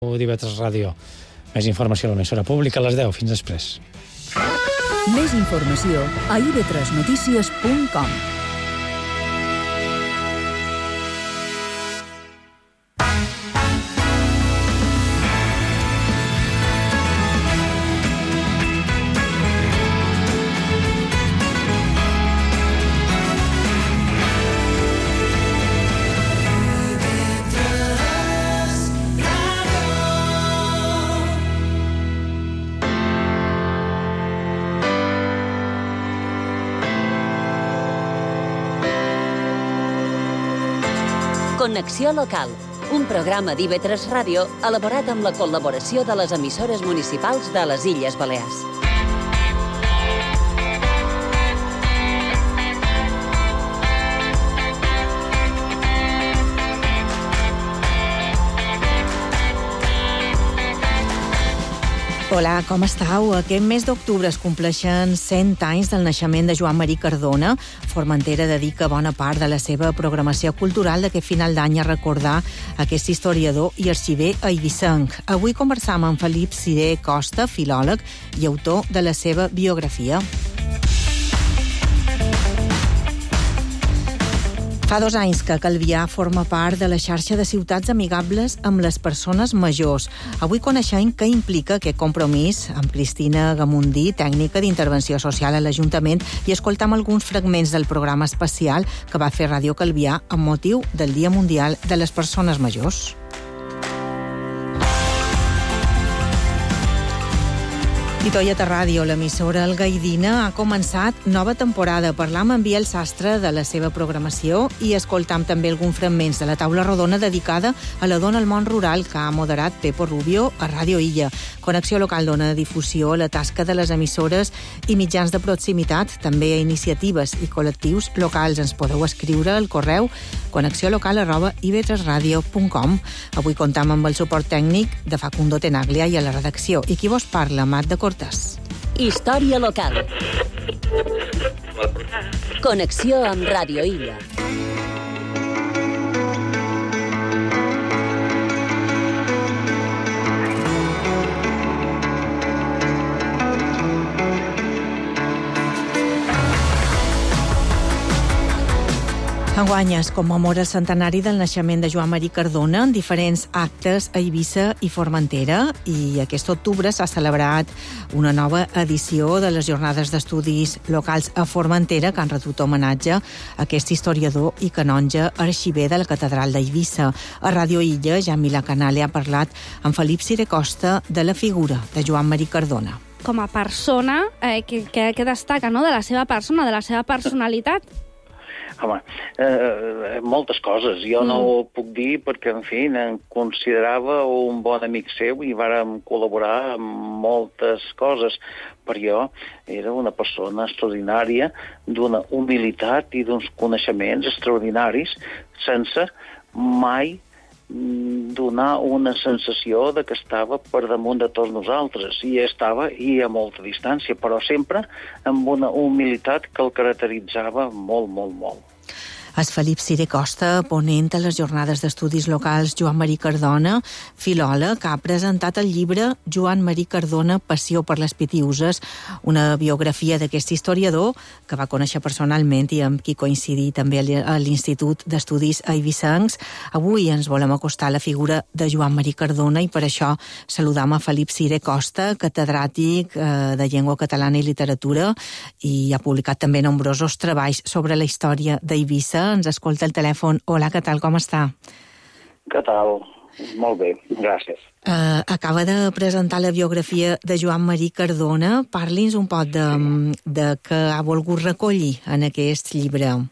d'IV3 Ràdio. Més informació a l'emissora pública a les 10. Fins després. Més informació a ib3notícies.com. Connexió local, un programa d'IV3 Ràdio elaborat amb la col·laboració de les emissores municipals de les Illes Balears. Hola, com estàu? Aquest mes d'octubre es compleixen 100 anys del naixement de Joan Marí Cardona. Formentera dedica bona part de la seva programació cultural d'aquest final d'any a recordar aquest historiador i arxiver eivissenc. Avui conversam amb Felip Ciré Costa, filòleg i autor de la seva biografia. Fa 2 anys que Calvià forma part de la xarxa de ciutats amigables amb les persones majors. Avui coneixem què implica aquest compromís amb Cristina Gamundí, tècnica d'intervenció social a l'Ajuntament, i escoltam alguns fragments del programa especial que va fer Ràdio Calvià amb motiu del Dia Mundial de les Persones Majors. I Toyota Ràdio, l'emissora algaidina, ha començat nova temporada. Parlam amb Biel Sastre de la seva programació i escoltam també alguns fragments de la taula rodona dedicada a la dona al món rural que ha moderat Pepo Rubio a Ràdio Illa. Connexió local dona difusió a la tasca de les emissores i mitjans de proximitat, també a iniciatives i col·lectius locals. Ens podeu escriure al correu connexiolocal@ib3radio.com. Avui comptam amb el suport tècnic de Facundo Tenaglia i a la redacció. I qui vos parla, Mat de Cortés. Història local. Connexió amb Ràdio Illa. Enguany es commemora el centenari del naixement de Joan Marí Cardona en diferents actes a Eivissa i Formentera, i aquest octubre s'ha celebrat una nova edició de les jornades d'estudis locals a Formentera que han retut homenatge a aquest historiador i canonge arxiver de la catedral d'Eivissa. A Ràdio Illa, Jan Milà Canale ha parlat amb Felip Ciré Costa de la figura de Joan Marí Cardona. Com a persona, que destaca, no?, de la seva persona, de la seva personalitat? Home, moltes coses. Jo no ho puc dir perquè, en fi, em considerava un bon amic seu i vàrem col·laborar en moltes coses. Per jo era una persona extraordinària, d'una humilitat i d'uns coneixements extraordinaris, sense mai donar una sensació de que estava per damunt de tots nosaltres, i estava i a molta distància, però sempre amb una humilitat que el caracteritzava molt, molt, molt. És Felip Ciré Costa, ponent a les jornades d'estudis locals Joan Marí Cardona, filòleg, que ha presentat el llibre Joan Marí Cardona, Passió per les Pitiüses, una biografia d'aquest historiador que va conèixer personalment i amb qui coincidí també a l'Institut d'Estudis Eivissencs. Avui ens volem acostar a la figura de Joan Marí Cardona i per això saludam a Felip Ciré Costa, catedràtic de Llengua Catalana i Literatura, i ha publicat també nombrosos treballs sobre la història d'Eivissa. Ens escolta el telèfon. Hola, què tal, com està? Què tal? Molt bé, gràcies. Acaba de presentar la biografia de Joan Marí Cardona. Parli'ns un poc de què ha volgut recollir en aquest llibre.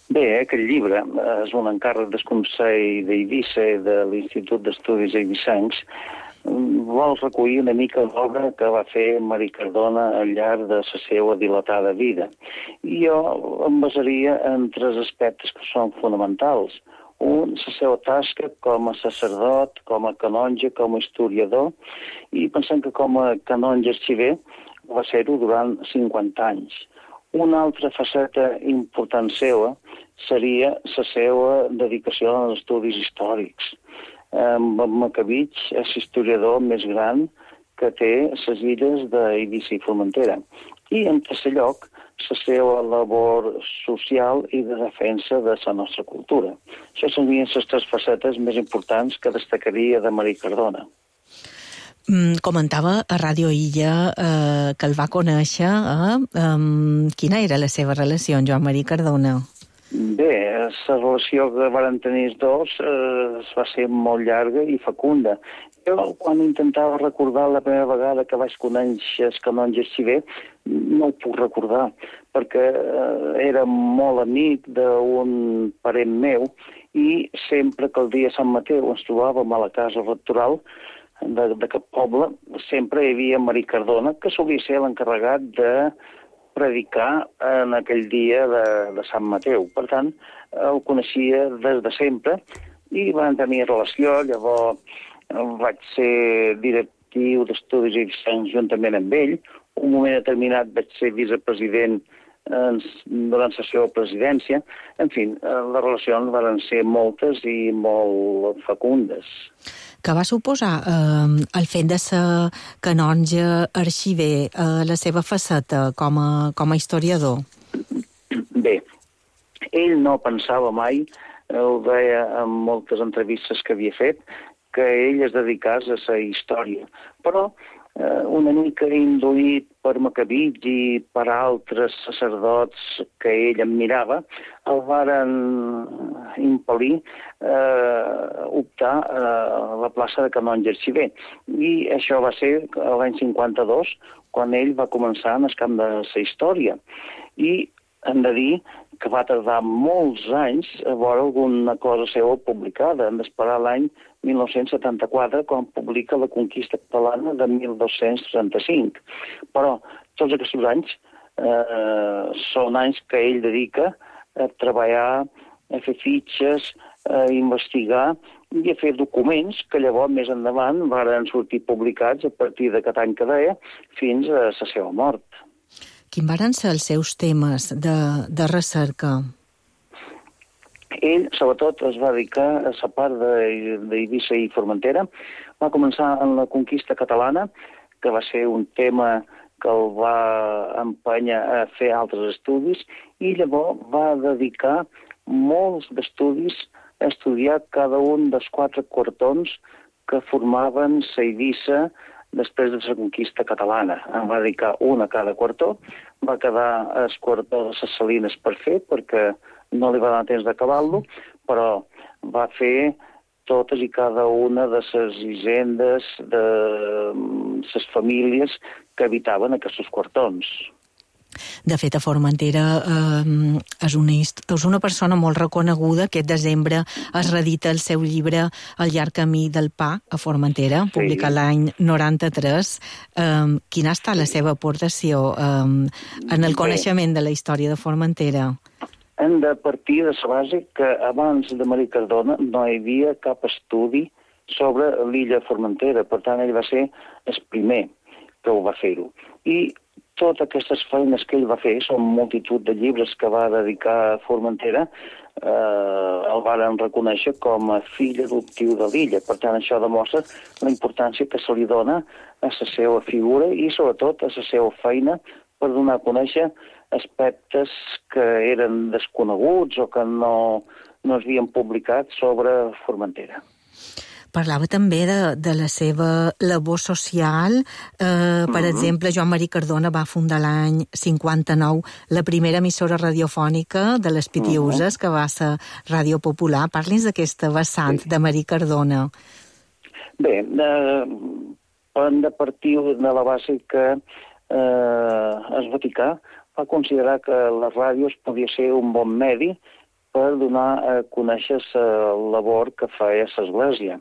Bé, aquest llibre és un encàrrec del Consell d'Eivissa i de l'Institut d'Estudis Eivissencs. Vol recollir una mica l'obra que va fer Marí Cardona al llarg de la seva dilatada vida. I jo em basaria en 3 aspectes que són fonamentals. Un, la seva tasca com a sacerdot, com a canonge, com a historiador, i pensem que com a canonge arxiver va ser-ho durant 50 anys. Una altra faceta important seva seria la seva dedicació als estudis històrics. Macabig és l'historiador més gran que té les illes d'Eivissa i Formentera. I, en tercer lloc, la seva labor social i de defensa de la nostra cultura. Això serien les tres facetes més importants que destacaria de Marí Cardona. Comentava a Ràdio Illa que el va conèixer. Quina era la seva relació amb Joan Marí Cardona? Bé, la relació que van tenir els dos va ser molt llarga i fecunda. Jo, quan intentava recordar la primera vegada que vaig conèixer el canonge Arxiver, no ho puc recordar, perquè era molt amic d'un parent meu i sempre que el dia de Sant Mateu ens trobàvem a la casa rectoral d'aquest poble, sempre hi havia Marí Cardona, que solia ser l'encarregat de predicar en aquell dia de Sant Mateu. Per tant, el coneixia des de sempre i van tenir relació. Llavors vaig ser directiu d'estudis eivissencs juntament amb ell. Un moment determinat vaig ser vicepresident durant la seva presidència. En fi, les relacions van ser moltes i molt fecundes. Què va suposar el fet de ser canonge arxiver, la seva faceta com a historiador? Bé, ell no pensava mai, ho deia en moltes entrevistes que havia fet, que ell es dedicés a la història. Però una mica induït per Macabig i per altres sacerdots que ell admirava, el varen impel·lir optar a la plaça de canonge arxiver. I això va ser l'any 52, quan ell va començar en el camp de la història. I hem de dir que va tardar molts anys a veure alguna cosa seva publicada. Hem d'esperar l'any 1974, quan publica La conquista catalana de 1235. Però tots aquests anys són anys que ell dedica a treballar, a fer fitxes, a investigar i a fer documents que llavors més endavant van sortir publicats a partir d'aquest any que deia fins a la seva mort. Quins van ser els seus temes de recerca? Ell, sobretot, es va dedicar a la part d'Eivissa i Formentera. Va començar en la conquista catalana, que va ser un tema que el va empènyer a fer altres estudis, i llavors va dedicar molts d'estudis a estudiar cada un dels 4 quartons que formaven la Eivissa després de la conquista catalana. En va dedicar un a cada quartó, va quedar el quartó de les Salines per fer, perquè no li va donar temps d'acabar-lo, però va fer totes i cada una de les hisendes, de les famílies que habitaven aquests quartons. De fet, a Formentera és una persona molt reconeguda. Aquest desembre es reedita el seu llibre El llarg camí del pa a Formentera, publicat l'any 93. Quina ha estat la seva aportació en el coneixement de la història de Formentera? Hem de partir de la base que abans de Marí Cardona no hi havia cap estudi sobre l'illa de Formentera. Per tant, ell va ser el primer que ho va fer-ho. I totes aquestes feines que ell va fer, són multitud de llibres que va dedicar a Formentera, el varen reconèixer com a fill adoptiu de l'illa. Per tant, això demostra la importància que se li dona a la seva figura i, sobretot, a la seva feina per donar a conèixer aspectes que eren desconeguts o que no s'havien publicat sobre Formentera. Parlava també de la seva labor social. Per exemple, Joan Marí Cardona va fundar l'any 59 la primera emissora radiofònica de les Pitiüses, que va ser Ràdio Popular. Parli'ns d'aquesta vessant de Marí Cardona. Bé, hem de partir de la base que el Vaticà va considerar que la ràdio podia ser un bon medi per donar a conèixer la labor que feia l'Església.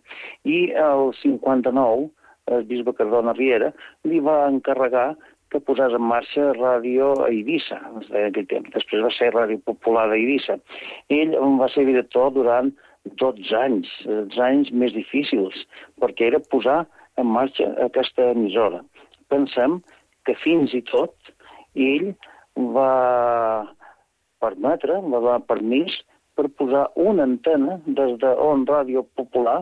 I el 59, el bisbe Cardona Riera li va encarregar que posés en marxa Ràdio Eivissa, en aquell temps. Després va ser Ràdio Popular d'Eivissa. Ell va ser director durant 12 anys, els anys més difícils, perquè era posar en marxa aquesta emissora. Pensem que fins i tot ell va donar permís per posar una antena des d'on Ràdio Popular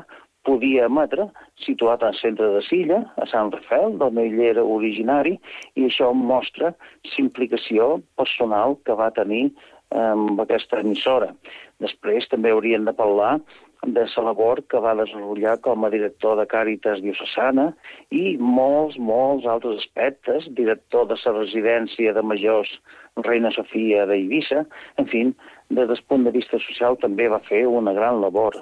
podia emetre, situat al centre de Silla, a Sant Rafael, d'on ell era originari, i això mostra l'implicació personal que va tenir amb aquesta emissora. Després també hauríem de parlar de la labor que va desenvolupar com a director de Càritas Diocesana i molts altres aspectes, director de la residència de majors Reina Sofia d'Eivissa. En fi, des del punt de vista social també va fer una gran labor.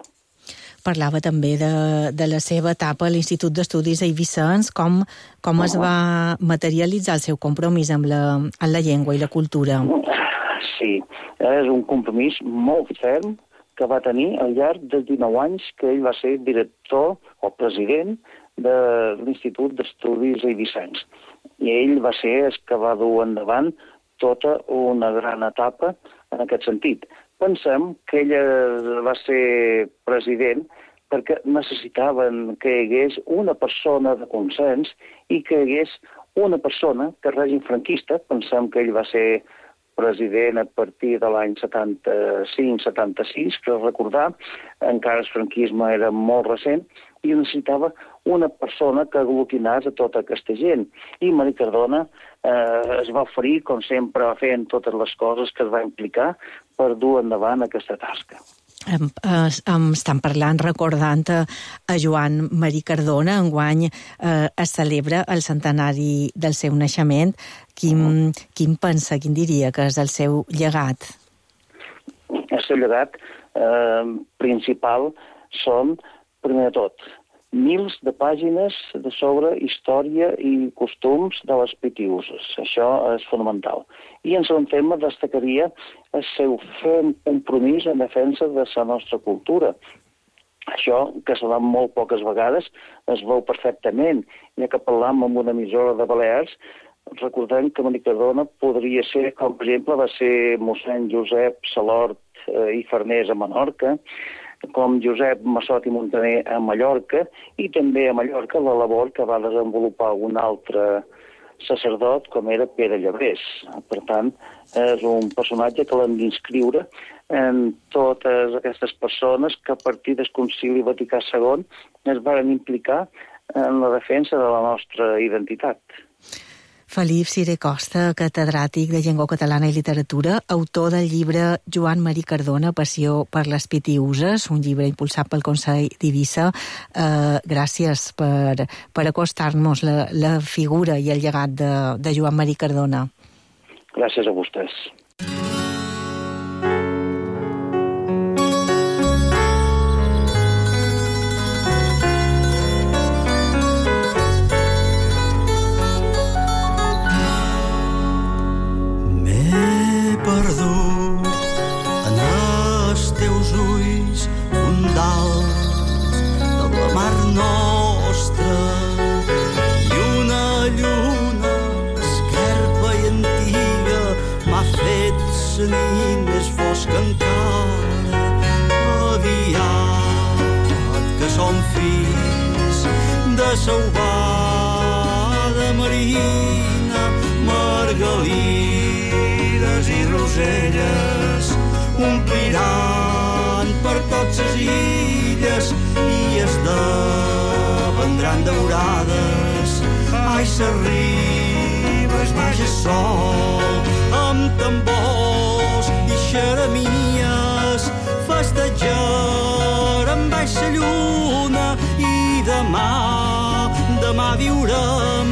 Parlava també de la seva etapa a l'Institut d'Estudis Eivissencs, com es va materialitzar el seu compromís amb la llengua i la cultura. Sí, és un compromís molt ferm que va tenir al llarg dels 19 anys que ell va ser director o president de l'Institut d'Estudis Eivissencs. I ell va ser el que va dur endavant tota una gran etapa en aquest sentit. Pensem que ell va ser president perquè necessitaven que hi hagués una persona de consens i que hi hagués una persona que el règim franquista, pensem que ell va ser president a partir de l'any 75-76, que recordar, encara el franquisme era molt recent, i necessitava una persona que aglutinés a tota aquesta gent. I Mari Cardona es va oferir, com sempre va fer en totes les coses que es va implicar, per dur endavant aquesta tasca. Estan parlant, recordant a Joan Marí Cardona. Enguany es celebra el centenari del seu naixement. Quin pensa, quin diria que és el seu llegat? El seu llegat principal són, primer de tot, mils de pàgines sobre història i costums de les Pitiüses. Això és fonamental. I en segon tema destacaria el seu ferm compromís en defensa de la nostra cultura. Això, que se fa molt poques vegades, es veu perfectament. Ja que parlam amb una emissora de Balears, recordem que Mari Cardona podria ser, com per exemple, va ser mossèn Josep Salort i Farnés a Menorca, com Josep Massot i Montaner a Mallorca, i també a Mallorca la labor que va desenvolupar un altre sacerdot, com era Pere Llebrés. Per tant, és un personatge que l'hem d'inscriure en totes aquestes persones que a partir del Concili Vaticà II es van implicar en la defensa de la nostra identitat. Felip Siré Costa, catedràtic de Llengua Catalana i Literatura, autor del llibre Joan Marí Cardona, Passió per les Pitiüses, un llibre impulsat pel Consell d'Eivissa. Gràcies per acostar-nos la figura i el llegat de Joan Marí Cardona. Gràcies a vostès. La nit més fosca encara, aviat que som fills de sauvada marina, margalides i roselles ompliran per tots les illes i esdevendran daurades. Ai, s'arriba, es baixa sol amb tambors i xeremies, festejarem baix la lluna i demà viurem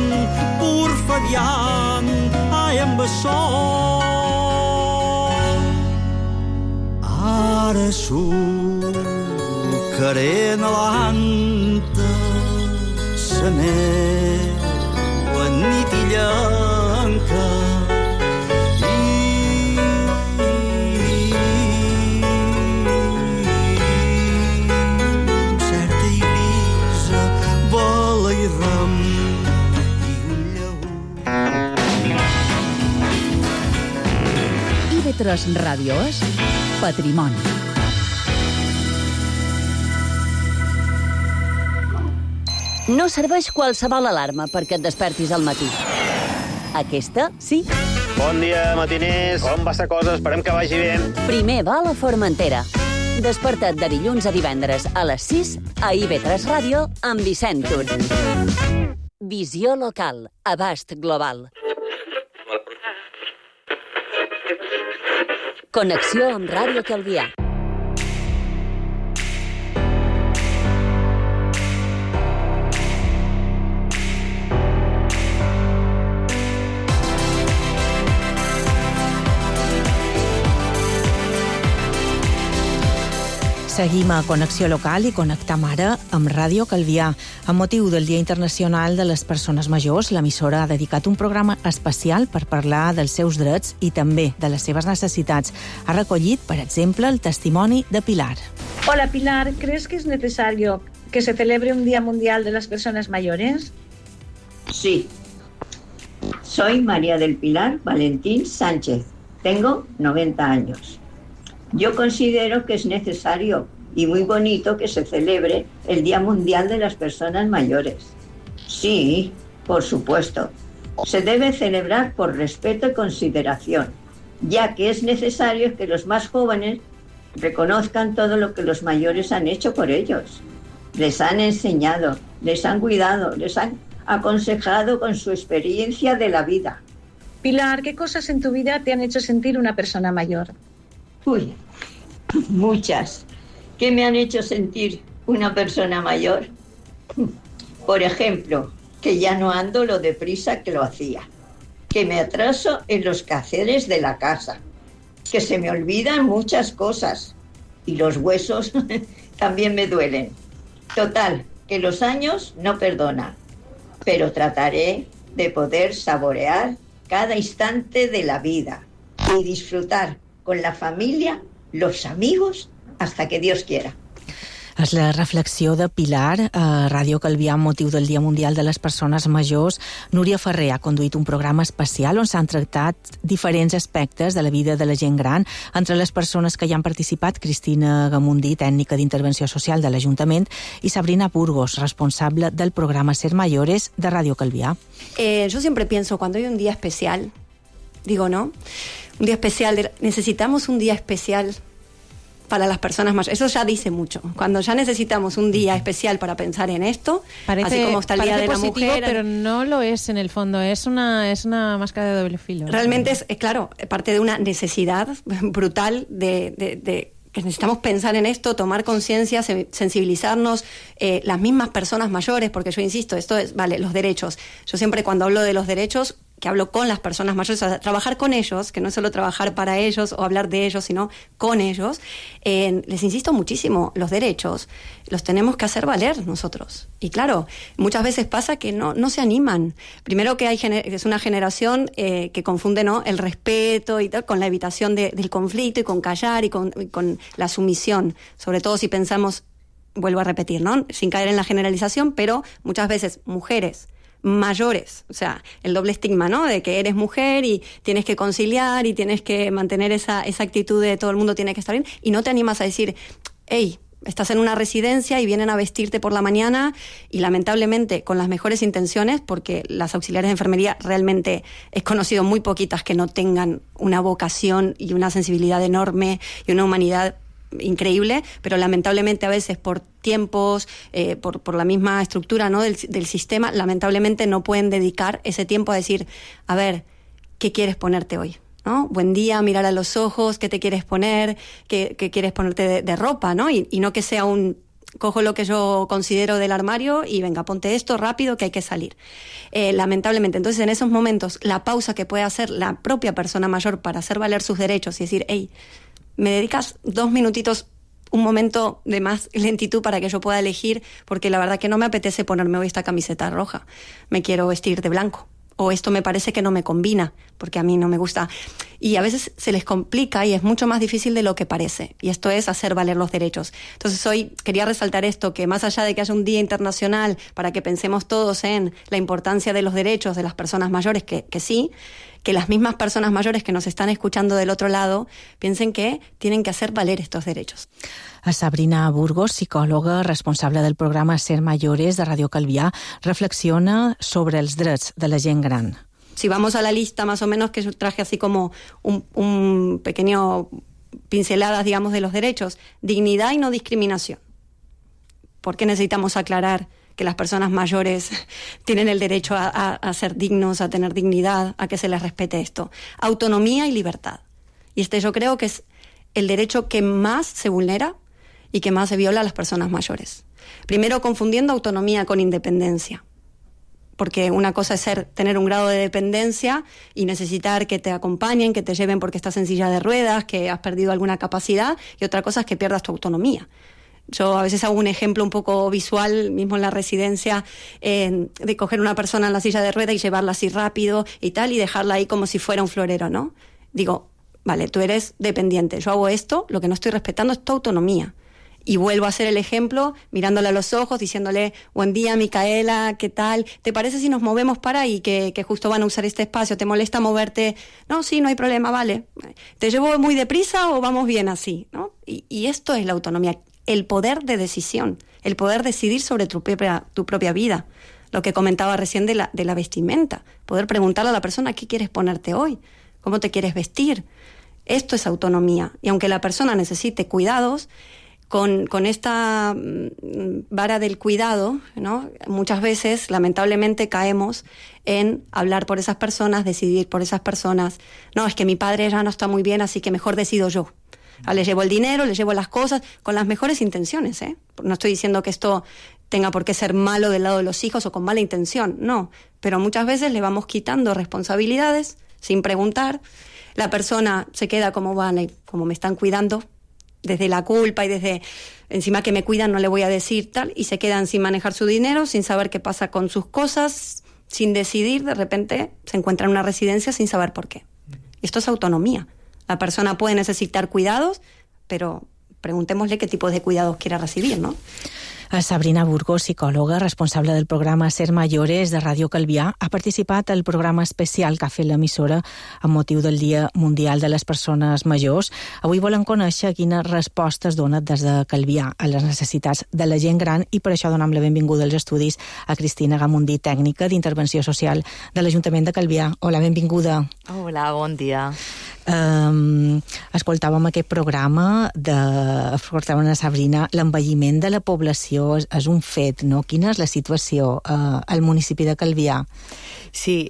porfadiant, ai, amb el sol. Ara sucaré en l'anta sa neu en nit i llanca, IB3 Ràdio és Patrimoni. No serveix qualsevol alarma perquè et despertis al matí. Aquesta, sí. Bon dia, matiners. Com va la cosa? Esperem que vagi bé. Primer va a la Formentera. Desperta't de dilluns a divendres a les 6 a IB3 Ràdio amb Vicent Tur. Visió local, abast global. Connexió amb Ràdio Calvià. Seguim a Connexió Local i connectam ara amb Ràdio Calvià. Amb motiu del Dia Internacional de les Persones Majors, l'emissora ha dedicat un programa especial per parlar dels seus drets i també de les seves necessitats. Ha recollit, per exemple, el testimoni de Pilar. Hola Pilar, ¿crees que es necesario que se celebre un Día Mundial de las Personas Mayores? Sí. Soy María del Pilar Valentín Sánchez. Tengo 90 años. Yo considero que es necesario y muy bonito que se celebre el Día Mundial de las Personas Mayores. Sí, por supuesto. Se debe celebrar por respeto y consideración, ya que es necesario que los más jóvenes reconozcan todo lo que los mayores han hecho por ellos. Les han enseñado, les han cuidado, les han aconsejado con su experiencia de la vida. Pilar, ¿qué cosas en tu vida te han hecho sentir una persona mayor? Uy, muchas. ¿Qué me han hecho sentir una persona mayor? Por ejemplo, que ya no ando lo deprisa que lo hacía, que me atraso en los quehaceres de la casa, que se me olvidan muchas cosas y los huesos también me duelen. Total, que los años no perdonan, pero trataré de poder saborear cada instante de la vida y disfrutar con la familia, los amigos, hasta que Dios quiera. És la reflexió de Pilar a Ràdio Calvià amb motiu del Dia Mundial de les Persones Majors. Núria Ferrer ha conduït un programa especial on s'han tractat diferents aspectes de la vida de la gent gran. Entre les persones que hi han participat, Cristina Gamundí, tècnica d'intervenció social de l'Ajuntament, i Sabrina Burgos, responsable del programa Ser Mayores de Ràdio Calvià. Yo siempre pienso, cuando hay un día especial, digo, ¿no? Un día especial, necesitamos un día especial para las personas mayores. Eso ya dice mucho. Cuando ya necesitamos un día especial para pensar en esto, así como está el Día de la Mujer... pero no lo es en el fondo, es una máscara de doble filo. Realmente es claro, parte de una necesidad brutal de que necesitamos pensar en esto, tomar conciencia, sensibilizarnos, las mismas personas mayores, porque yo insisto, esto es, vale, los derechos. Yo siempre cuando hablo de los derechos, que hablo con las personas mayores, o sea, trabajar con ellos, que no es solo trabajar para ellos o hablar de ellos, sino con ellos, les insisto muchísimo, los derechos los tenemos que hacer valer nosotros. Y claro, muchas veces pasa que no se animan. Primero que es una generación que confunde, ¿no?, el respeto y tal con la evitación del conflicto y con callar y con la sumisión, sobre todo si pensamos, vuelvo a repetir, ¿no?, sin caer en la generalización, pero muchas veces mujeres mayores, o sea, el doble estigma, ¿no?, de que eres mujer y tienes que conciliar y tienes que mantener esa actitud de todo el mundo tiene que estar bien, y no te animas a decir, hey, estás en una residencia y vienen a vestirte por la mañana, y lamentablemente con las mejores intenciones, porque las auxiliares de enfermería realmente he conocido muy poquitas que no tengan una vocación y una sensibilidad enorme y una humanidad increíble, pero lamentablemente a veces por tiempos, por la misma estructura, ¿no?, del sistema, lamentablemente no pueden dedicar ese tiempo a decir, a ver, ¿qué quieres ponerte hoy? ¿No? Buen día, mirar a los ojos, ¿qué te quieres poner? ¿Qué quieres ponerte de ropa? ¿No? Y no que sea cojo lo que yo considero del armario y venga, ponte esto rápido que hay que salir. Lamentablemente, entonces en esos momentos, la pausa que puede hacer la propia persona mayor para hacer valer sus derechos y decir, hey, ¿me dedicas 2 minutitos, un momento de más lentitud para que yo pueda elegir? Porque la verdad que no me apetece ponerme hoy esta camiseta roja. Me quiero vestir de blanco. O esto me parece que no me combina, porque a mí no me gusta. Y a veces se les complica y es mucho más difícil de lo que parece. Y esto es hacer valer los derechos. Entonces hoy quería resaltar esto, que más allá de que haya un día internacional para que pensemos todos en la importancia de los derechos de las personas mayores, que sí, que las mismas personas mayores que nos están escuchando del otro lado piensen que tienen que hacer valer estos derechos. A Sabrina Burgos, psicòloga responsable del programa Ser Mayores de Ràdio Calvià, reflexiona sobre els drets de la gent gran. Si vamos a la lista más o menos que yo traje así como un pequeño pinceladas, digamos, de los derechos. Dignidad y no discriminación. ¿Por qué necesitamos aclarar que las personas mayores tienen el derecho a ser dignos, a tener dignidad, a que se les respete esto? Autonomía y libertad. Y yo creo que es el derecho que más se vulnera y que más se viola a las personas mayores. Primero, confundiendo autonomía con independencia. Porque una cosa es tener un grado de dependencia y necesitar que te acompañen, que te lleven porque estás en silla de ruedas, que has perdido alguna capacidad, y otra cosa es que pierdas tu autonomía. Yo a veces hago un ejemplo un poco visual, mismo en la residencia, de coger una persona en la silla de ruedas y llevarla así rápido y tal, y dejarla ahí como si fuera un florero, ¿no? Digo, vale, tú eres dependiente, yo hago esto, lo que no estoy respetando es tu autonomía. Y vuelvo a hacer el ejemplo, mirándola a los ojos, diciéndole, buen día, Micaela, ¿qué tal? ¿Te parece si nos movemos para ahí, que justo van a usar este espacio? ¿Te molesta moverte? No, sí, no hay problema, vale. ¿Te llevo muy deprisa o vamos bien así? ¿No? Y esto es la autonomía, el poder de decisión, el poder decidir sobre tu propia vida. Lo que comentaba recién de la vestimenta, poder preguntarle a la persona, ¿qué quieres ponerte hoy? ¿Cómo te quieres vestir? Esto es autonomía. Y aunque la persona necesite cuidados, con esta vara del cuidado, ¿no? Muchas veces, lamentablemente, caemos en hablar por esas personas, decidir por esas personas. No, es que mi padre ya no está muy bien, así que mejor decido yo. Le llevo el dinero, le llevo las cosas, con las mejores intenciones, ¿eh? No estoy diciendo que esto tenga por qué ser malo del lado de los hijos o con mala intención, no. Pero muchas veces le vamos quitando responsabilidades sin preguntar. La persona se queda como, vale, como me están cuidando, desde la culpa y desde encima que me cuidan no le voy a decir tal, y se quedan sin manejar su dinero, sin saber qué pasa con sus cosas, sin decidir, de repente se encuentra en una residencia sin saber por qué. Esto es autonomía. La persona puede necesitar cuidados, pero preguntémosle qué tipo de cuidados quiere recibir, ¿no? Sabrina Burgos, psicòloga, responsable del programa Ser Mayores de Ràdio Calvià, ha participat al programa especial que ha fet l'emissora amb motiu del Dia Mundial de les Persones Majors. Avui volen conèixer quines respostes dona des de Calvià a les necessitats de la gent gran, i per això donem la benvinguda als estudis a Cristina Gamundí, tècnica d'Intervenció Social de l'Ajuntament de Calvià. Hola, benvinguda. Hola, bon dia. Escoltàvem aquest programa escoltàvem a Sabrina, l'envelliment de la població és un fet, no? Quina és la situació al municipi de Calvià? Sí,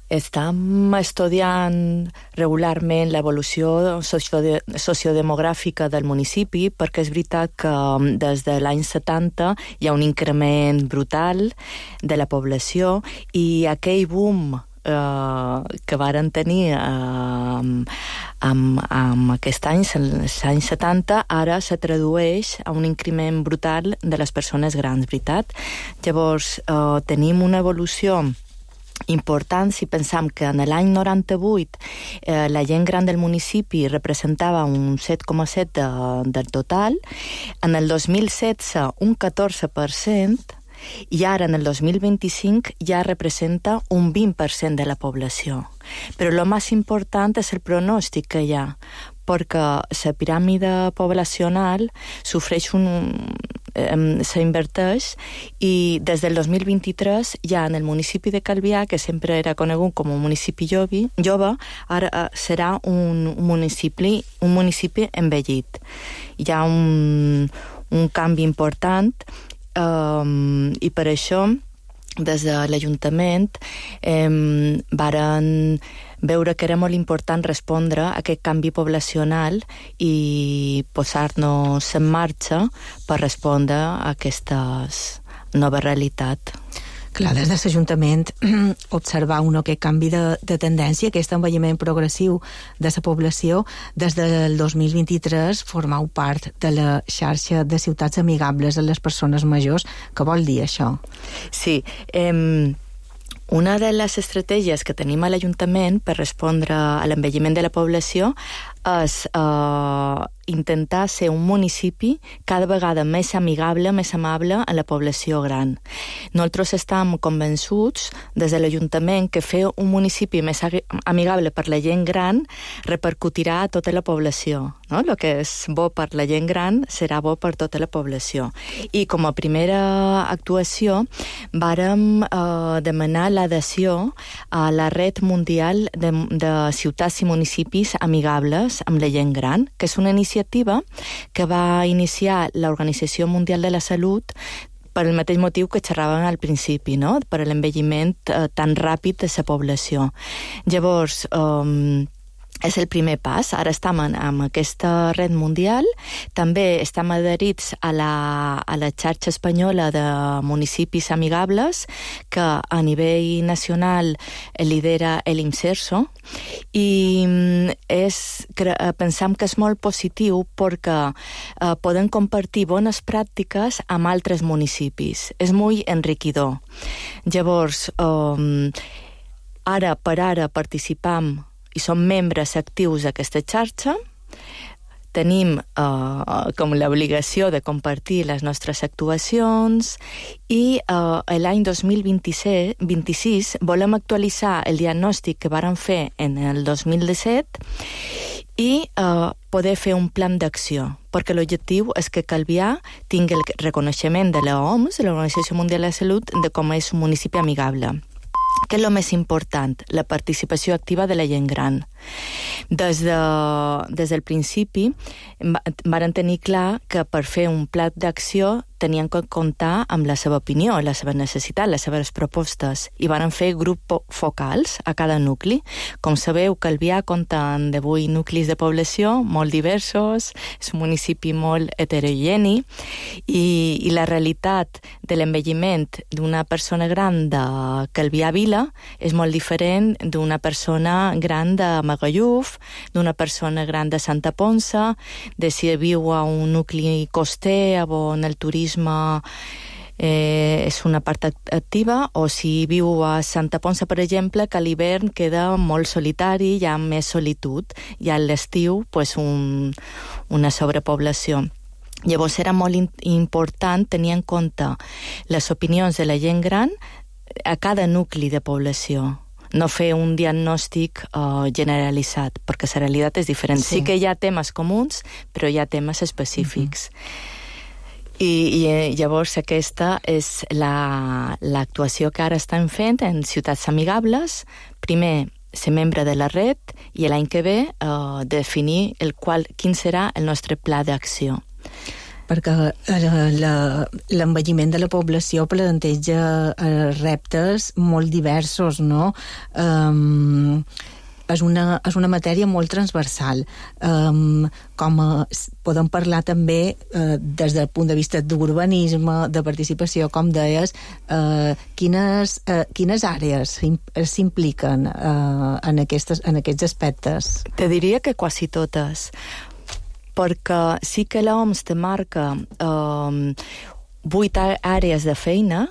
estem estudiant regularment l'evolució sociodemogràfica del municipi, perquè és veritat que des de l'any 70 hi ha un increment brutal de la població, i aquell boom que varen tenir amb aquests anys, els anys 70, ara se tradueix a un increment brutal de les persones grans, veritat? Llavors, tenim una evolució important si pensam que en l'any 98 la gent gran del municipi representava un 7,7% del total, en el 2016 un 14%, i ara, en el 2025, ja representa un 20% de la població. Però el més important és el pronòstic que hi ha, perquè la piràmide poblacional s'inverteix, i des del 2023 ja en el municipi de Calvià, que sempre era conegut com un municipi jove, ara serà un municipi envellit. Hi ha un canvi important, i per això des de l'Ajuntament varen veure que era molt important respondre a aquest canvi poblacional i posar-nos en marxa per respondre a aquesta nova realitat. Clar, des de l'Ajuntament observar aquest canvi de tendència, aquest envelliment progressiu de la població, des del 2023 formau part de la xarxa de ciutats amigables a les persones majors. Què vol dir això? Sí, una de les estratègies que tenim a l'Ajuntament per respondre a l'envelliment de la població és intentar ser un municipi cada vegada més amigable, més amable a la població gran. Nosaltres estem convençuts des de l'Ajuntament que fer un municipi més amigable per la gent gran repercutirà a tota la població. No? El que és bo per la gent gran serà bo per tota la població. I com a primera actuació vàrem demanar l'adhesió a la Red Mundial de Ciutats i Municipis Amigables amb la gent gran, que és una iniciativa que va iniciar l'Organització Mundial de la Salut per el mateix motiu que xerràvem al principi, no? Per l'envelliment tan ràpid de la població. Llavors, és el primer pas. Ara estem amb aquesta red mundial. També estem adherits a la xarxa espanyola de municipis amigables, que a nivell nacional lidera l'IMSERSO, i pensam que és molt positiu perquè poden compartir bones pràctiques amb altres municipis. És molt enriquidor. Llavors, ara participam i som membres actius d'aquesta xarxa, tenim com l'obligació de compartir les nostres actuacions i l'any 2026 volem actualitzar el diagnòstic que vàrem fer en el 2017 i poder fer un plan d'acció, perquè l'objectiu és que Calvià tingui el reconeixement de l'OMS, de l'Organització Mundial de la Salut, de com és un municipi amigable. Què és el més important? La participació activa de la gent gran. Des del principi varen tenir clar que per fer un pla d'acció tenien que comptar amb la seva opinió, la seva necessitat, les seves propostes, i varen fer grups focals a cada nucli. Com sabeu, Calvià compta amb 18 nuclis de població molt diversos, és un municipi molt heterogeni, i la realitat de l'envelliment d'una persona gran de Calvià Vila és molt diferent d'una persona gran de Magalluf, d'una persona gran de Santa Ponça, de si viu a un nucli coster on el turisme és una part activa, o si viu a Santa Ponça, per exemple, que a l'hivern queda molt solitari, hi ha més solitud, i a l'estiu una sobrepoblació. Llavors era molt important tenir en compte les opinions de la gent gran a cada nucli de població. No fer un diagnòstic generalitzat, perquè la realitat és diferent. Sí que hi ha temes comuns, però hi ha temes específics. I llavors aquesta és l'actuació que ara estem fent en Ciutats Amigables. Primer, ser membre de la red, i l'any que ve definir quin serà el nostre pla d'acció. Perquè l'envelliment de la població planteja reptes molt diversos, no? És una matèria molt transversal. Podem parlar també des del punt de vista d'urbanisme, de participació, com deies, quines àrees s'impliquen en aquests aspectes? Te diria que quasi totes, perquè sí que l'OMS te marca 8 àrees de feina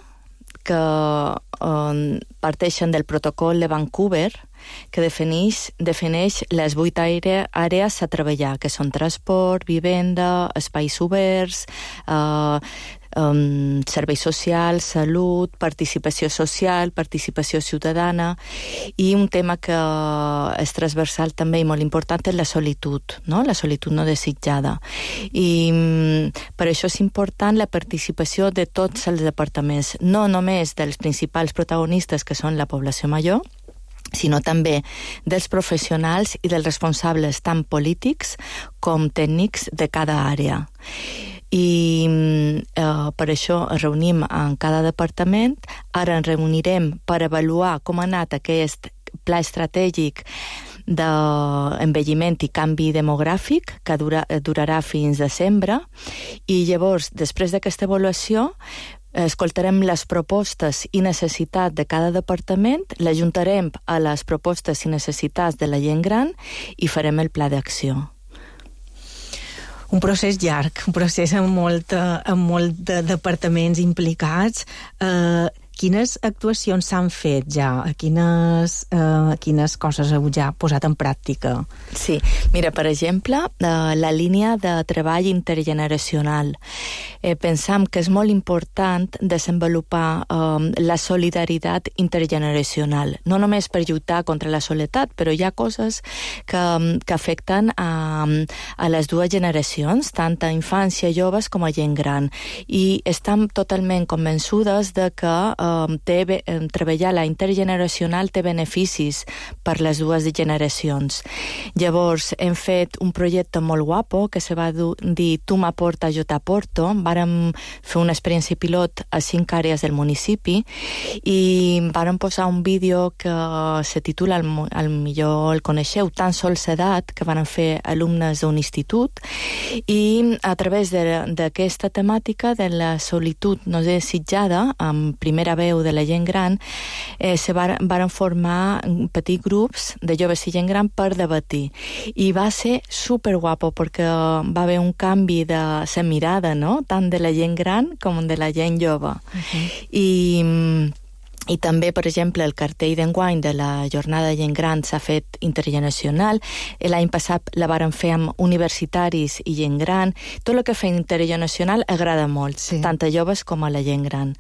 que parteixen del protocol de Vancouver, que defineix les 8 àrees a treballar, que són transport, vivenda, espais oberts, serveis socials, salut, participació social, participació ciutadana, i un tema que és transversal també i molt important és la solitud, no? La solitud no desitjada. I per això és important la participació de tots els departaments, no només dels principals protagonistes, que són la població major, sinó també dels professionals i dels responsables tant polítics com tècnics de cada àrea. I per això ens reunim en cada departament. Ara ens reunirem per avaluar com ha anat aquest pla estratègic d'envelliment i canvi demogràfic, que durarà fins desembre, i llavors, després d'aquesta avaluació, escoltarem les propostes i necessitats de cada departament, l'ajuntarem a les propostes i necessitats de la gent gran i farem el pla d'acció. Un procés llarg, un procés amb molt de departaments implicats. Quines actuacions s'han fet ja? Quines coses heu ja posat en pràctica? Sí, mira, per exemple, la línia de treball intergeneracional. Pensam que és molt important desenvolupar la solidaritat intergeneracional, no només per lluitar contra la soledat, però hi ha coses que afecten a les dues generacions, tant a infància, joves com a gent gran, i estem totalment convençudes de que treballar la intergeneracional té beneficis per les dues generacions. Llavors, hem fet un projecte molt guapo que se va dir Tu m'aporta, jo t'aporto. Vàrem fer una experiència pilot a 5 àrees del municipi i vàrem posar un vídeo que se titula, al millor el coneixeu, Tan sols edat, que van fer alumnes d'un institut, i a través d'aquesta temàtica de la solitud no desitjada, amb primera veu de la gent gran, se varen formar petits grups de joves i gent gran per debatir. I va ser superguapo perquè va haver un canvi de la mirada, no? Tant de la gent gran com de la gent jove. I també, per exemple, el cartell d'enguany de la jornada de gent gran s'ha fet intergeneracional. L'any passat la varen fer amb universitaris i gent gran. Tot el que fa intergeneracional agrada molt, tant a joves com a la gent gran.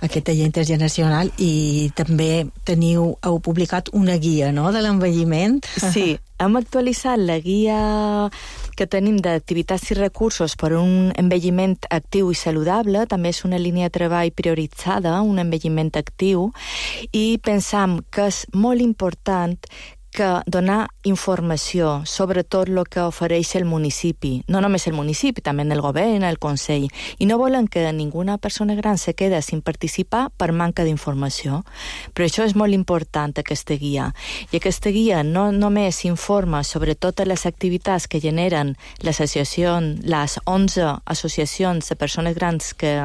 Aquest taller intergeneracional, i també heu publicat una guia, no?, de l'envelliment. Sí, hem actualitzat la guia que tenim d'activitats i recursos per a un envelliment actiu i saludable. També és una línia de treball prioritzada, un envelliment actiu, i pensam que és molt important que donar informació sobre tot el que ofereix el municipi, no només el municipi, també el govern, el Consell, i no volen que ninguna persona gran se quede sin participar per manca d'informació. Però això és molt important, aquesta guia. I aquesta guia no només informa sobre totes les activitats que generen les 11 associacions de persones grans que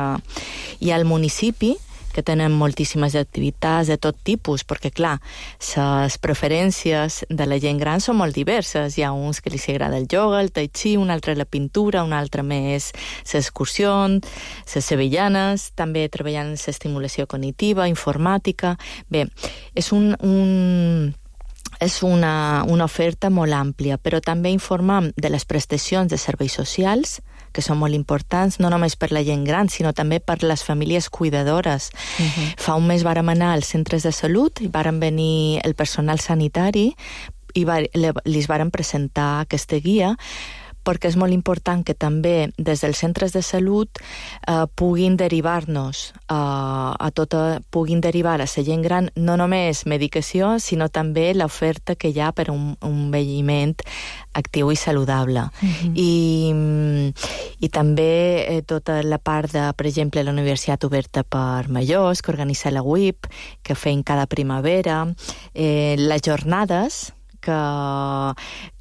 hi ha al municipi, que tenen moltíssimes activitats de tot tipus, perquè, clar, les preferències de la gent gran són molt diverses. Hi ha uns que li agrada el ioga, el tai chi, un altre la pintura, un altre més l'excursió, les sevillanes, també treballant en l'estimulació cognitiva, informàtica. Bé, és una oferta molt àmplia, però també informem de les prestacions de serveis socials, que són molt importants, no només per la gent gran, sinó també per les famílies cuidadores. Fa un mes vàrem anar als centres de salut i vàrem venir el personal sanitari i li vàrem presentar aquesta guia, perquè és molt important que també des dels centres de salut puguin derivar-nos puguin derivar a la gent gran no només medicació, sinó també l'oferta que hi ha per un envelliment actiu i saludable. I també tota la part de, per exemple, la Universitat Oberta per Majors, que organitza la UIP, que feim cada primavera, les jornades, que,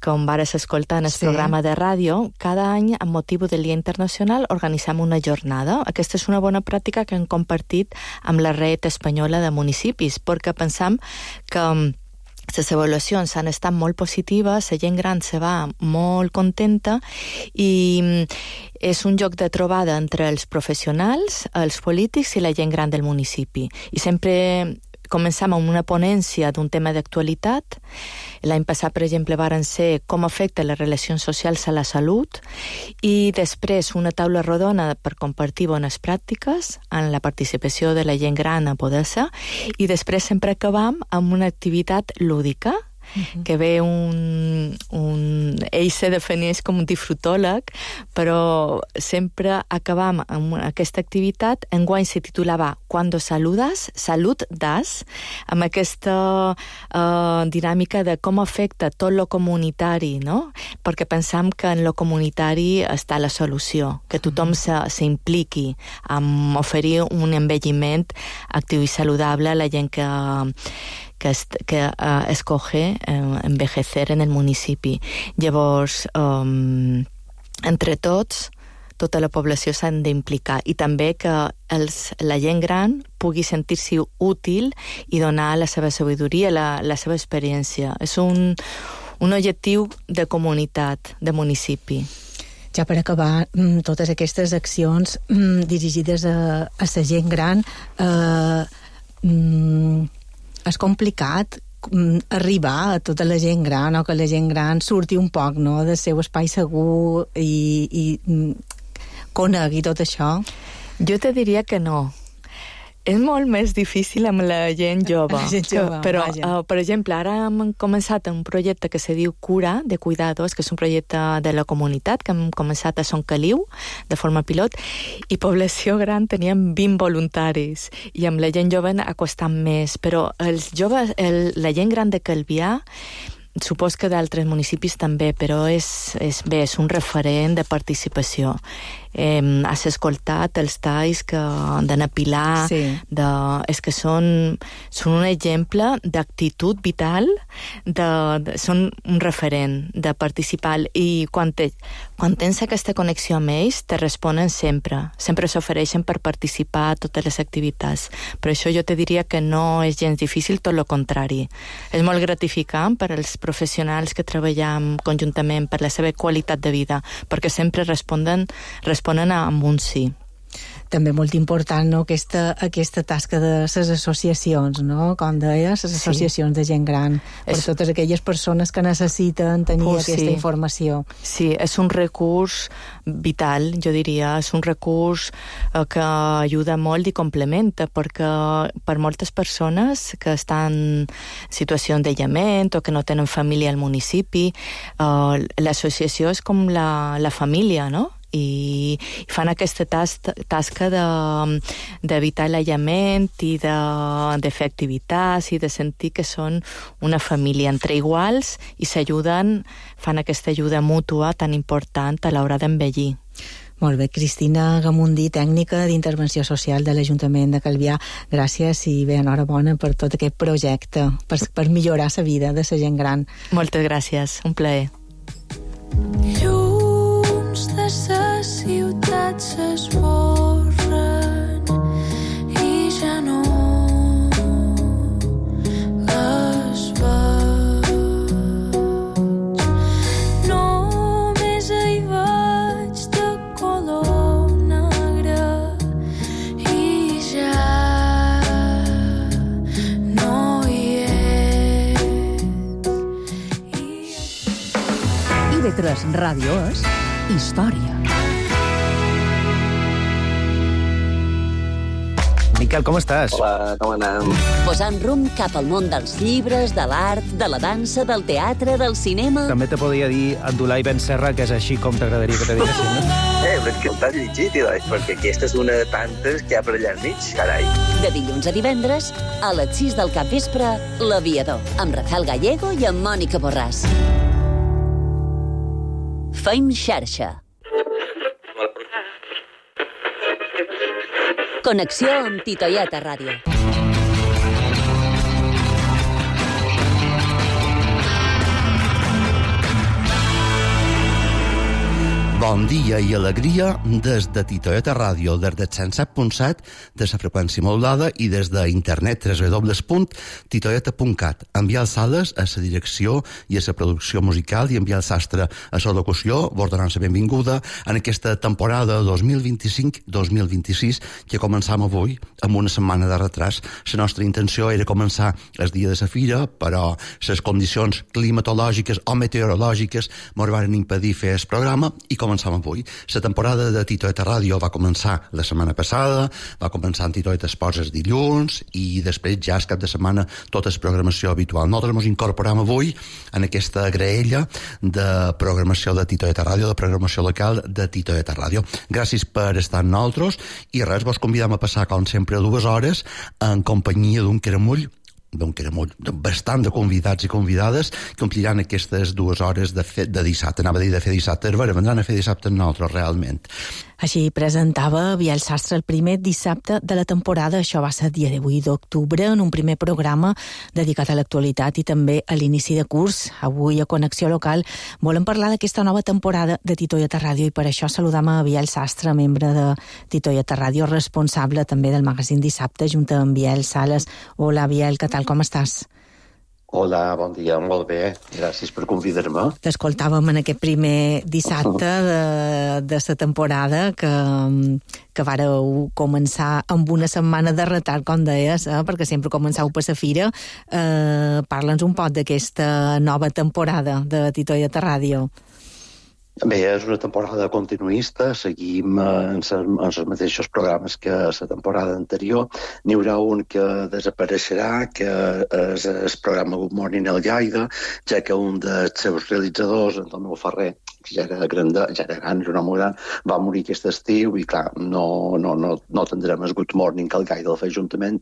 com vares escoltar en el programa de ràdio, cada any, amb motiu del Dia Internacional, organitzem una jornada. Aquesta és una bona pràctica que hem compartit amb la Red Espanyola de Municipis, perquè pensam que les avaluacions han estat molt positives, la gent gran se va molt contenta i és un lloc de trobada entre els professionals, els polítics i la gent gran del municipi. I sempre començam amb una ponència d'un tema d'actualitat. L'any passat, per exemple, varen ser com afecta les relacions socials a la salut, i després una taula rodona per compartir bones pràctiques en la participació de la gent gran a poder-se, i després sempre acabam amb una activitat lúdica, que ve ell se defineix com un disfrutòleg, però sempre acabam amb aquesta activitat. Enguany se titulava Cuando saludas, salud das, amb aquesta dinàmica de com afecta tot lo comunitari, no? Perquè pensam que en lo comunitari està la solució, que tothom s'impliqui en oferir un envelliment actiu i saludable a la gent que escoge envejecer en el municipi. Llavors, entre tots, tota la població s'han d'implicar, i també que la gent gran pugui sentir-s'hi útil i donar la seva sabidoria, la seva experiència. És un objectiu de comunitat, de municipi. Ja per acabar, totes aquestes accions dirigides a la gent gran, és complicat arribar a tota la gent gran, o que la gent gran surti un poc, no?, del seu espai segur i conegui tot això. Jo te diria que no. És molt més difícil amb la gent jove. Però, per exemple, ara hem començat un projecte que se diu Cura, de Cuidados, que és un projecte de la comunitat, que hem començat a Son Caliu, de forma pilot, i població gran teníem 20 voluntaris, i amb la gent jove ha costat més. Però els joves, la gent gran de Calvià, supos que d'altres municipis també, però és un referent de participació. Has escoltat els talls d'Anna Pilar, és que són un exemple d'actitud vital, són un referent de participar, i quan tens aquesta connexió amb ells, te responen sempre s'ofereixen per participar a totes les activitats. Per això jo te diria que no és gens difícil, tot el contrari. És molt gratificant per als professionals que treballem conjuntament per la seva qualitat de vida, perquè sempre responen amb un sí. També molt important, no?, aquesta tasca de les associacions, no?, com deies, les associacions de gent gran, per totes aquelles persones que necessiten tenir aquesta informació. Sí, és un recurs vital, jo diria, és un recurs que ajuda molt i complementa, perquè per moltes persones que estan en situació d'aïllament o que no tenen família al municipi, l'associació és com la família, no?, i fan aquesta tasca d'evitar l'aïllament i de fer activitats i de sentir que són una família entre iguals i s'ajuden, fan aquesta ajuda mútua tan important a l'hora d'envellir. Molt bé, Cristina Gamundí, tècnica d'intervenció social de l'Ajuntament de Calvià. Gràcies i bé, enhorabona per tot aquest projecte, per millorar la vida de la gent gran. Moltes gràcies, un plaer. De sa ciutat s'esborren i ja no les veig. Només hi vaig de color negre i ja no hi és. IB3 Ràdio és història. Miquel, com estàs? Hola, com anem? Posant rumb cap al món dels llibres, de l'art, de la dansa, del teatre, del cinema... També te podria dir Abdulai Ben Serra, que és així com t'agradaria que te diguessin, no? Però és que el t'has llegit, perquè aquesta és una de tantes que hi ha per allà al mig, carai. De dilluns a divendres, a les 6 del capvespre, L'Aviador, amb Rafael Gallego i amb Mònica Borràs. Feim xarxa. Connexió amb Titoieta Ràdio. Bon dia i alegria des de Titoieta Ràdio, des del 107.7 de la freqüència modulada i des d'internet www.titoieta.cat. Enviar els Sales a la direcció i a la producció musical i enviar el Sastre a la locució, vos donant la benvinguda en aquesta temporada 2025-2026 que començam avui amb una setmana de retras. La nostra intenció era començar el dia de la fira, però les condicions climatològiques o meteorològiques ens van impedir fer el programa i començam avui. La temporada de Titoieta Ràdio va començar la setmana passada, va començar en Titoieta Esports els dilluns i després ja el cap de setmana tota la programació habitual. Nosaltres ens incorporam avui en aquesta graella de programació de Titoieta Ràdio, de programació local de Titoieta Ràdio. Gràcies per estar amb nosaltres i res, vos convidam a passar com sempre 2 hores en companyia d'un caramull bastant de convidats i convidades que ompliran aquestes 2 hores de dissabte. Anava a dir de fer dissabte, vendran a fer dissabte amb nosaltres, realment. Així presentava Biel Sastre el primer dissabte de la temporada. Això va ser el dia 18 d'octubre, en un primer programa dedicat a l'actualitat i també a l'inici de curs. Avui, a Connexió Local, volem parlar d'aquesta nova temporada de Titoieta Ràdio i per això saludam a Biel Sastre, membre de Titoieta Ràdio, responsable també del magazín Dissabte, junt amb Biel Sales. Hola, Biel, què tal, com estàs? Hola, bon dia, molt bé. Gràcies per convidar-me. T'escoltàvem en aquest primer dissabte de la temporada que vareu començar amb una setmana de retard, com deies, perquè sempre començau per la fira. Parla'ns un poc d'aquesta nova temporada de Titoieta Ràdio. Bé, és una temporada continuista, seguim en els mateixos programes que la temporada anterior. N'hi haurà un que desapareixerà, que és el programa Good Morning El Lleida, ja que un dels seus realitzadors, Antonio Ferrer, que ja era gran, és un home gran, va morir aquest estiu i, clar, no tindrem el Good Morning que el Lleida el fa juntament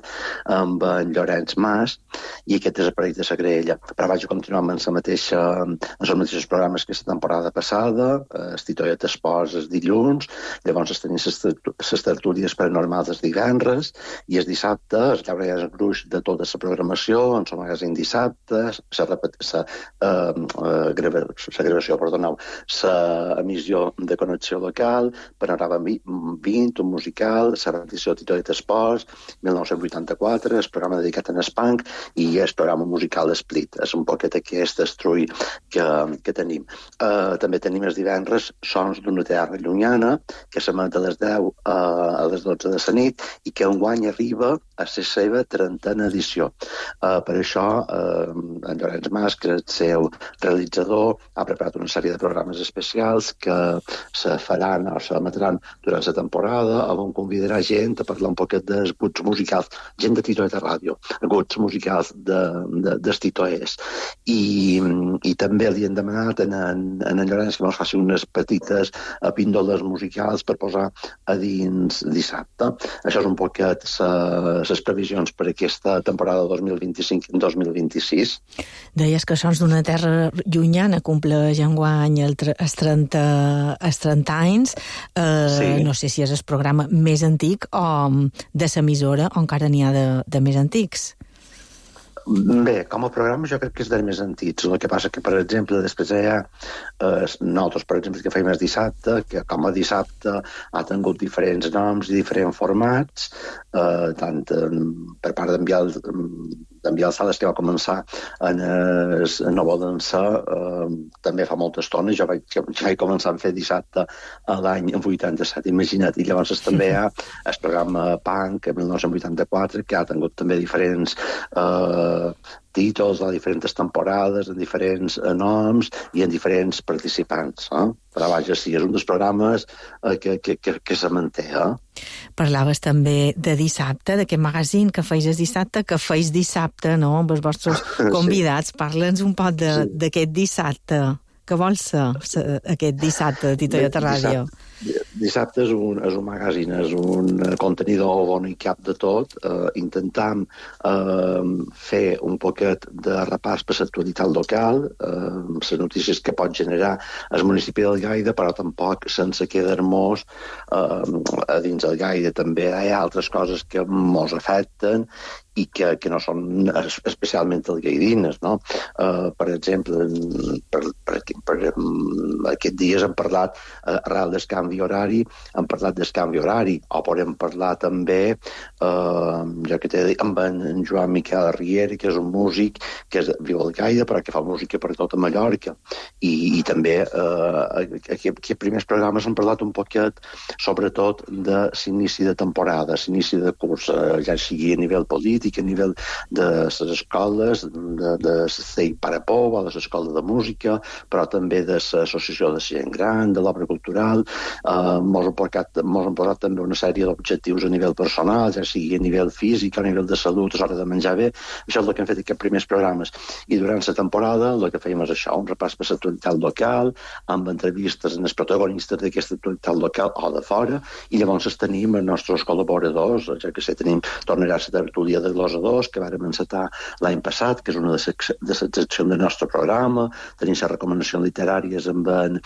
amb en Llorenç Mas, i aquest desapareix de la graella. Però vaig continuar amb els mateixos programes que la temporada passada, es Titoieta Esports els dilluns, llavors es tenien les tertúlies paranormals els divendres, i el dissabte es llaura el gruix de tota la programació, en el magazín dissabte, l'emissió de connexió local, Panorama 20, un musical, la repetició de Titoieta Esports, 1984, el programa dedicat a Espanc, i el programa musical Split. És un poquet aquest estrull que tenim. També tenim els divendres Sons d'una terra llunyana, que s'emet a les 10 a les 12 de la nit, i que enguany arriba a la seva 30a edició. Per això, en Llorenç Mas, que és el seu realitzador, ha preparat una sèrie de programes especials que se faran o s'emetran durant la temporada, on convidarà gent a parlar un poquet dels guts musicals, gent de Titoieta Ràdio, guts musicals dels titoers. I també li hem demanat en Llorenç que ens faci unes petites píndoles musicals per posar a dins dissabte. Això és un poquet les previsions per aquesta temporada 2025-2026. Deies que Sons d'una terra llunyana compleix enguany els 30 anys. Sí. No sé si és el programa més antic o de l'emissora, o encara n'hi ha de més antics. Bé, com a programa jo crec que és dels més antics. El que passa que, per exemple, després hi ha nosaltres, per exemple, que feim el dissabte, que com a dissabte ha tingut diferents noms i diferents formats, tant per part d'enviar el Sales, que va començar en No Volen Ser, també fa molta estona. Jo vaig començar a fer dissabte a l'any 87, imagina't, i llavors també hi ha el programa Punk, en 1984, que ha tingut també diferents títols a diferents temporades, en diferents noms i en diferents participants. Però vaja, sí, és un dels programes que se manté. Parlaves també de dissabte, d'aquest magazín que feis el dissabte, no?, amb els vostres convidats. Sí. Parla'ns un poc d'aquest dissabte. Què vol ser aquest dissabte de Titoieta Ràdio? Dissabte és un magazín, és un contenidor on hi cap de tot. Intentam fer un poquet de repàs per l'actualitat local, les notícies que pot generar el municipi del Lleida, però tampoc sense quedar-nos a dins del Lleida. També hi ha altres coses que mos afecten i que no són especialment lleidines, no? Per exemple, per aquests dies hem parlat, arrel del canvi horari, hem parlat del canvi horari, o podem parlar també, jo que t'he dit, amb en Joan Miquel Riera, que és un músic que viu al Lleida, però que fa música per tota Mallorca. I també aquests primers programes han parlat un poquet, sobretot, de l'inici de temporada, l'inici de curs, ja sigui a nivell polític, a nivell de les escoles, de CEI Parapou, de l'escola de música, però també de l'associació de gent gran, de l'obra cultural. Mos han posat també una sèrie d'objectius a nivell personal, ja sigui a nivell físic, a nivell de salut, a l'hora de menjar bé. Això és el que hem fet aquests primers programes. I durant la temporada el que fèiem és això, un repàs per l'actualitat local, amb entrevistes en els protagonistes d'aquesta actualitat local o de fora, i llavors tenim els nostres col·laboradors, ja que sé, tornarà a la tertúlia de glosadors, que vàrem encetar l'any passat, que és una de les seccions del nostre programa. Tenim les recomanacions literàries amb en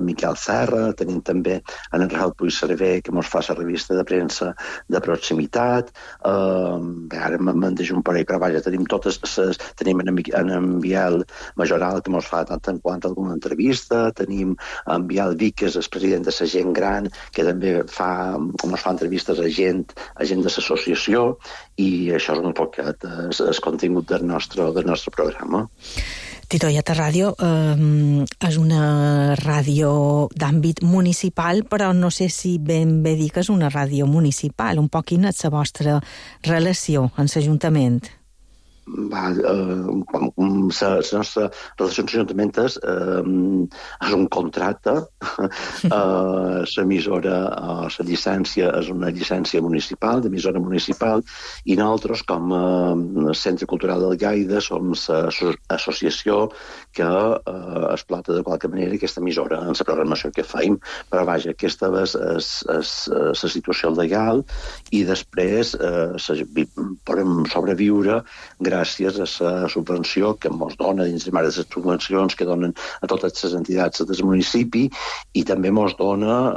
Miquel Serra, tenim també en Rafael Puig Cervé, que ens fa la revista de premsa de proximitat. Ara me'n deixo un parell, però vaja, tenim en Biel Majoral, que ens fa tant en quant alguna entrevista, tenim en Biel Vic, que és el president de la gent gran, que també ens fa entrevistes a gent de l'associació, i això és un poquet el contingut del nostre programa. Titoieta Ràdio és una ràdio d'àmbit municipal, però no sé si ben bé dir que és una ràdio municipal. Un poc quina és la vostra relació amb l'Ajuntament? La nostra relació amb l'Ajuntament és un contracte. L'emissora, la llicència és una llicència municipal, d'emissora municipal, i nosaltres, com a Centre Cultural del Gaida, som l'associació que explota de qualque manera aquesta emissora en la programació que fem. Però vaja, aquesta és la situació legal, i després podem sobreviure gràcies a la subvenció que ens dona dins de les subvencions que donen a totes les entitats del municipi, i també ens dona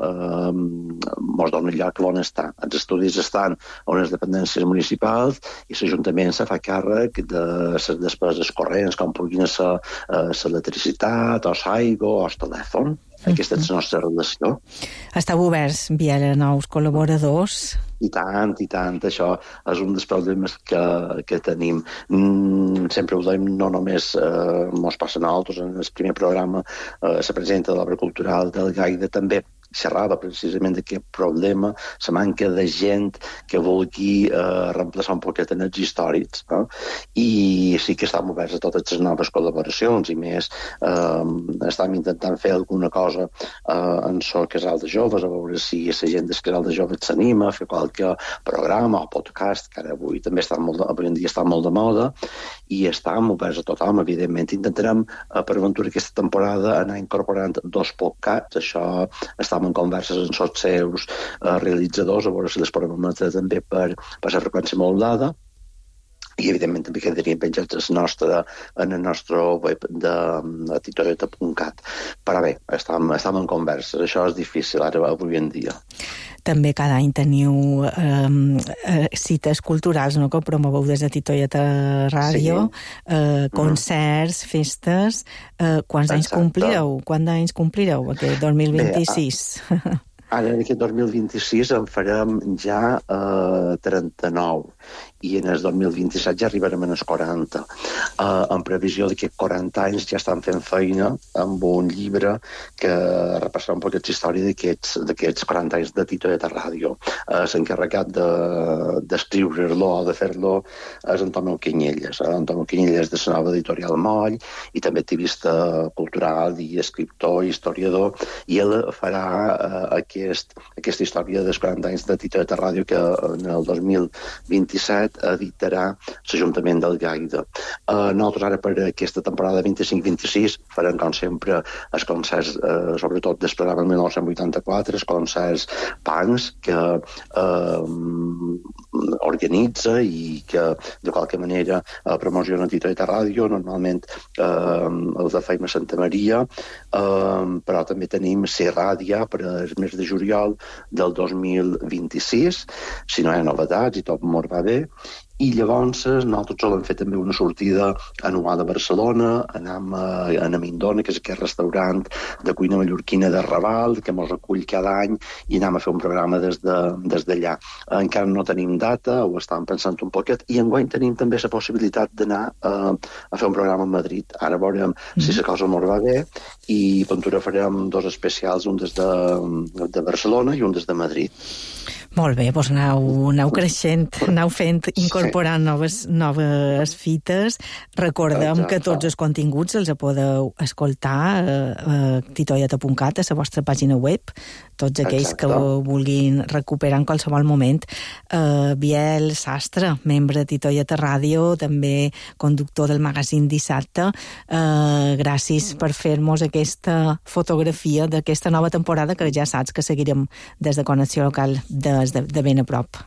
lloc on està. Els estudis estan a unes dependències municipals i l'Ajuntament se fa càrrec de les despeses corrents, com puguin ser l'electricitat, o l'aigua, o el telèfon. Aquesta és la nostra relació. Esteu oberts, Biel, a nous col·laboradors? I tant. Això és un dels problemes que tenim. Sempre ho dèiem, no només mos passa a nosaltres. En el primer programa, la presidenta de l'Obra Cultural del Gaida també xerrava precisament d'aquest problema, la manca de gent que vulgui reemplaçar un poquet en els històrics, i sí que estem oberts a totes les noves col·laboracions, i més estem intentant fer alguna cosa en el casal de joves, a veure si la gent del casal de joves s'anima a fer qualque programa o podcast, que ara avui en dia està molt de moda, i estem oberts a tothom. Evidentment intentarem per aventura aquesta temporada anar incorporant 2 podcasts. Això està en converses amb els seus realitzadors, a veure si les podem emetre també per la freqüència modulada, i evidentment també quedarien penjats en el nostre web de titoieta.cat. Però bé, estem en converses. Això és difícil ara avui en dia. També cada any teniu cites culturals, no?, que promoveu des de Titoieta Ràdio, concerts, festes. Quants anys complireu? Quants anys complireu aquest 2026? Ara, en aquest 2026 en farem ja 39, i en el 2027 ja arribarem als 40. En previsió d'aquests 40 anys ja estan fent feina amb un llibre que repassarà un poc la història d'aquests 40 anys de Titoieta Ràdio. S'ha d'escriure-lo o de fer-lo és Antonio Quiñelles. Antonio Quiñelles de la nova editorial Moll, i també activista cultural i escriptor i historiador, i ell farà aquesta història dels 40 anys de Titoieta Ràdio, que en el 2027 editarà l'Ajuntament del Gaida. Nosaltres ara per aquesta temporada 25-26 farem, com sempre, els concerts, sobretot del programa 1984, els concerts punks que organitza i que de qualque manera promociona Titoieta Ràdio. Normalment els de fem a Santa Maria, però també tenim Ràdia per al mes de juliol del 2026, si no hi ha novetats i tot mos va bé. I llavors nosaltres solem fer també una sortida anual a Barcelona, anem a Mindona, que és aquest restaurant de cuina mallorquina de Raval, que ens acull cada any, i anem a fer un programa des d'allà. Encara no tenim data, ho estàvem pensant un poquet, i enguany tenim també la possibilitat d'anar a fer un programa a Madrid. Ara veurem si la cosa ens va bé, i Ventura farem 2 especials, un des de Barcelona i un des de Madrid. Molt bé, doncs aneu creixent, aneu fent, incorporant noves fites. Recordem que tots els continguts els podeu escoltar a titoieta.cat, a la vostra pàgina web, tots aquells que vulguin recuperar en qualsevol moment. Biel Sastre, membre de Titoieta Ràdio, també conductor del magazín Dissabte, gràcies per fer-nos aquesta fotografia d'aquesta nova temporada, que ja saps que seguirem des de Connexió Local de ben a prop.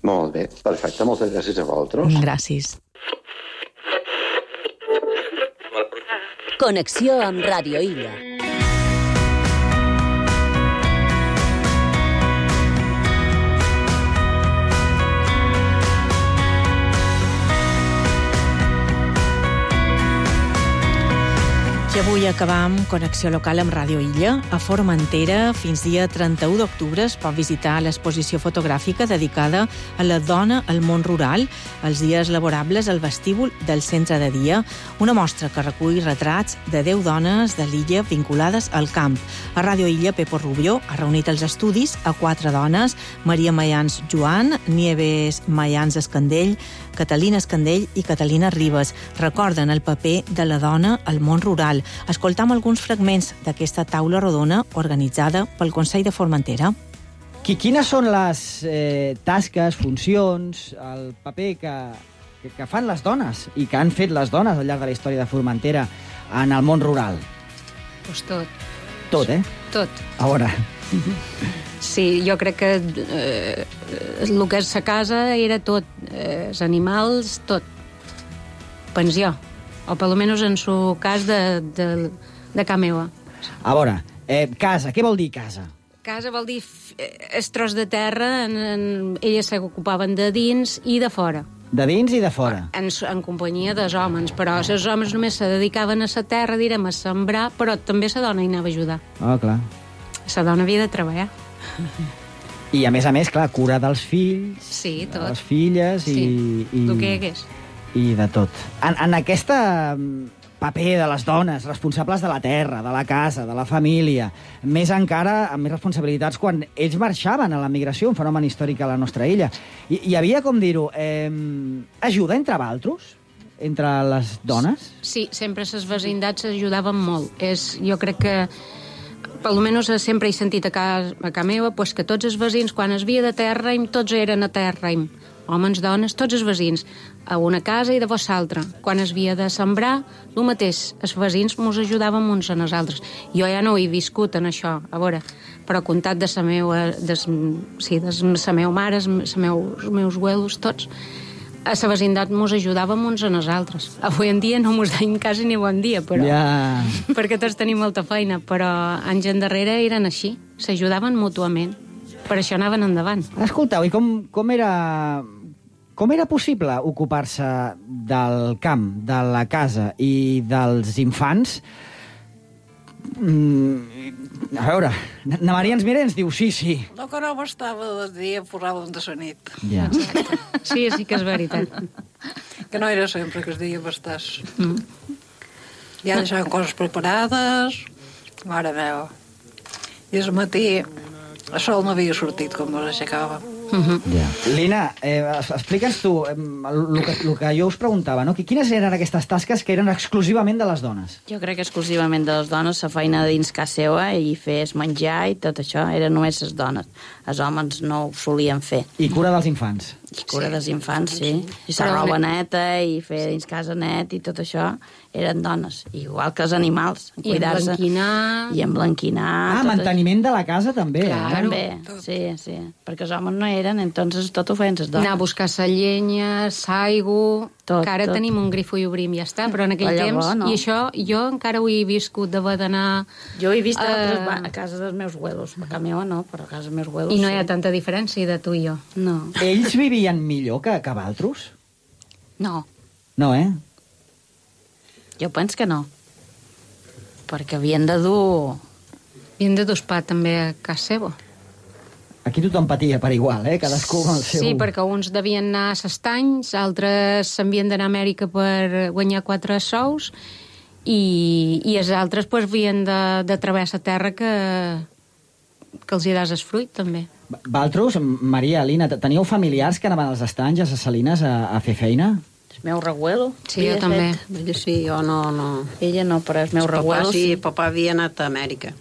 Molt bé, perfecte, moltes gràcies a vosaltres. Gràcies. Connexió amb Ràdio Illa. avui acabam Connexió Local amb Ràdio Illa. A Formentera, fins dia 31 d'octubre, es pot visitar l'exposició fotogràfica dedicada a la dona al món rural, els dies laborables al vestíbul del centre de dia, una mostra que recull retrats de 10 dones de l'illa vinculades al camp. A Ràdio Illa, Pepo Rubio ha reunit els estudis a 4 dones, Maria Mayans Joan, Nieves Mayans Escandell, Catalina Escandell i Catalina Ribes. Recorden el paper de la dona al món rural. Escoltam alguns fragments d'aquesta taula rodona organitzada pel Consell de Formentera. Quines són les tasques, funcions, el paper que fan les dones i que han fet les dones al llarg de la història de Formentera en el món rural? Pues tot. Tot, eh? Tot. A veure... Sí, jo crec que el que és sa casa era tot, els animals, tot. Pensió, o per almenys en su cas de ca meva. A veure, casa, què vol dir casa? Casa vol dir el tros de terra, elles s'ocupaven de dins i de fora. De dins i de fora? En companyia dels homes, però els homes només se dedicaven a la terra, direm, a sembrar, però també la dona hi anava a ajudar. Ah, clar. La dona havia de treballar. I a més, clar, cura dels fills, sí, tot. De les filles sí. i el que hi hagués. I de tot. En aquesta paper de les dones, responsables de la terra, de la casa, de la família, més encara amb més responsabilitats quan ells marxaven a la migració, un fenomen històric a la nostra illa. Hi havia, com dir-ho, ajuda entre valtros? Entre les dones? Sí, sempre les vecindats s'ajudaven molt. Jo crec que per almenys sempre he sentit a casa meva pues, que tots els veïns, quan es via de terra, tots eren a terra, homes, dones, tots els veïns, a una casa i de vos l'altra. Quan es via de sembrar, el mateix, els veïns ens ajudàvem uns a nosaltres. Jo ja no ho he viscut en això, a veure, però comptat de la meva mare, els meus abuelos, tots, a la vecindat mos ajudàvem uns a nosaltres. Avui en dia no mos deim quasi ni bon dia, però perquè tots tenim molta feina, però anys endarrere eren així, s'ajudaven mútuament, per això anaven endavant. Escolteu, i com era possible ocupar-se del camp, de la casa i dels infants? A veure, na Maria ens mira i ens diu sí. No, que no bastava de dia, posàvem de la nit. Ja. Sí que és veritat. Que no era sempre que es dia bastàs. Ja deixaven coses preparades, mare meva. I al matí el sol no havia sortit com nos aixecava. Lina, explica'ns tu el que jo us preguntava, no? Quines eren aquestes tasques que eren exclusivament de les dones? Jo crec que exclusivament de les dones, la feina dins casa seva i fer menjar i tot això, eren només les dones. Els homes no ho solien fer. I cura dels infants? I cura dels infants, sí. I la roba neta i fer dins casa net i tot això eren dones, igual que els animals. I emblanquinar. I emblanquinar. Manteniment de la casa també. També, sí. Perquè els homes no eren, entonces tot ho feien les dones. Anar a buscar la llenya, l'aigua... Que ara tenim un grifo i obrim, ja està, però en aquell temps... I això jo encara ho he viscut d'haver d'anar... Jo he vist a casa dels meus abuelos. A casa meva no, però a casa dels meus abuelos I no hi ha tanta diferència de tu i jo. No. Ells vivien millor que valtros? No. No, Jo penso que no. Perquè havien de dur... Havien de dur pa també a casa seva. Aquí tothom patia per igual, cadascú amb el seu... Sí, perquè uns devien anar a s'estanys, altres s'havien d'anar a Amèrica per guanyar 4 sous i els altres havien de travessar terra que els hi das el fruit, també. Valtros, Maria, Lina, teníeu familiars que anaven als estanys, a les salines, a fer feina? El meu reguelo. Sí, jo també. Ella sí, jo no. Ella no, però el meu reguelo sí. Papà havia anat a Amèrica.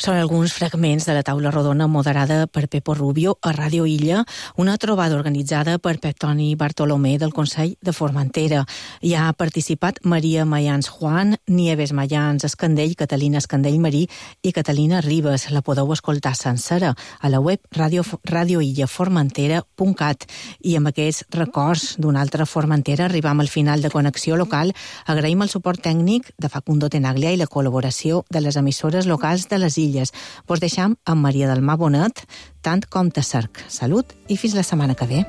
Són alguns fragments de la taula rodona moderada per Pepo Rubio a Ràdio Illa, una trobada organitzada per Pep Toni Bartolomé del Consell de Formentera. Hi ha participat Maria Mayans Juan, Nieves Mayans Escandell, Catalina Escandell Marí i Catalina Ribes. La podeu escoltar sencera a la web radioillaformentera.cat. I amb aquests records d'una altra Formentera arribam al final de Connexió Local. Agraïm el suport tècnic de Facundo Tenaglia i la col·laboració de les emissores locals de les illes. Vos deixam amb Maria del Mar Bonet, tant com te cerc. Salut i fins la setmana que ve.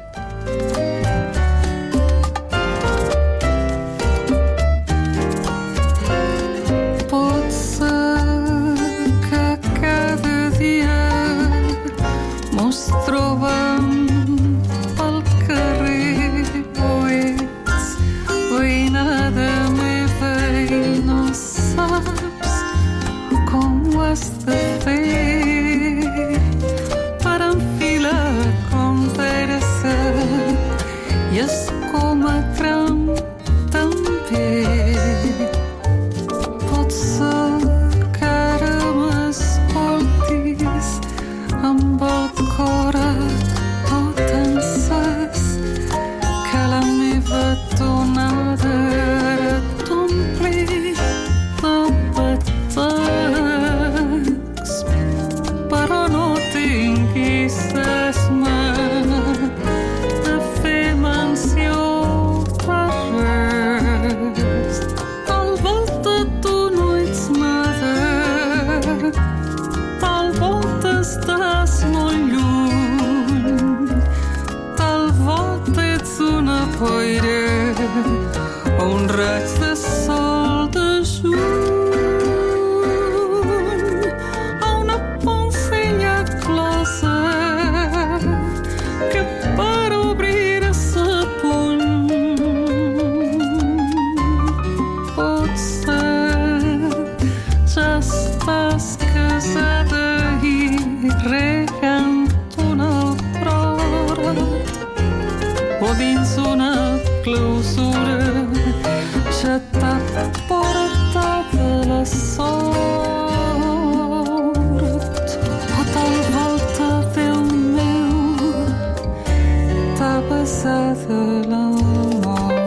gran també. Pot ser que ara m'escoltis amb el cor tot encès, que la meva tonada ara t'ompli de petecs, però no tinguis esma de fer menció de res. Tal volta tu no ets nada, tal volta estàs molt lluny, tal volta ets una boira o un raig de sol de juny, o una poncella closa que per obrir sa puny. Potser ja estàs casada i regant una prora, o dins una clausura ja t'ha portat la sort, o tal volta, Déu meu, t'ha passat la mort.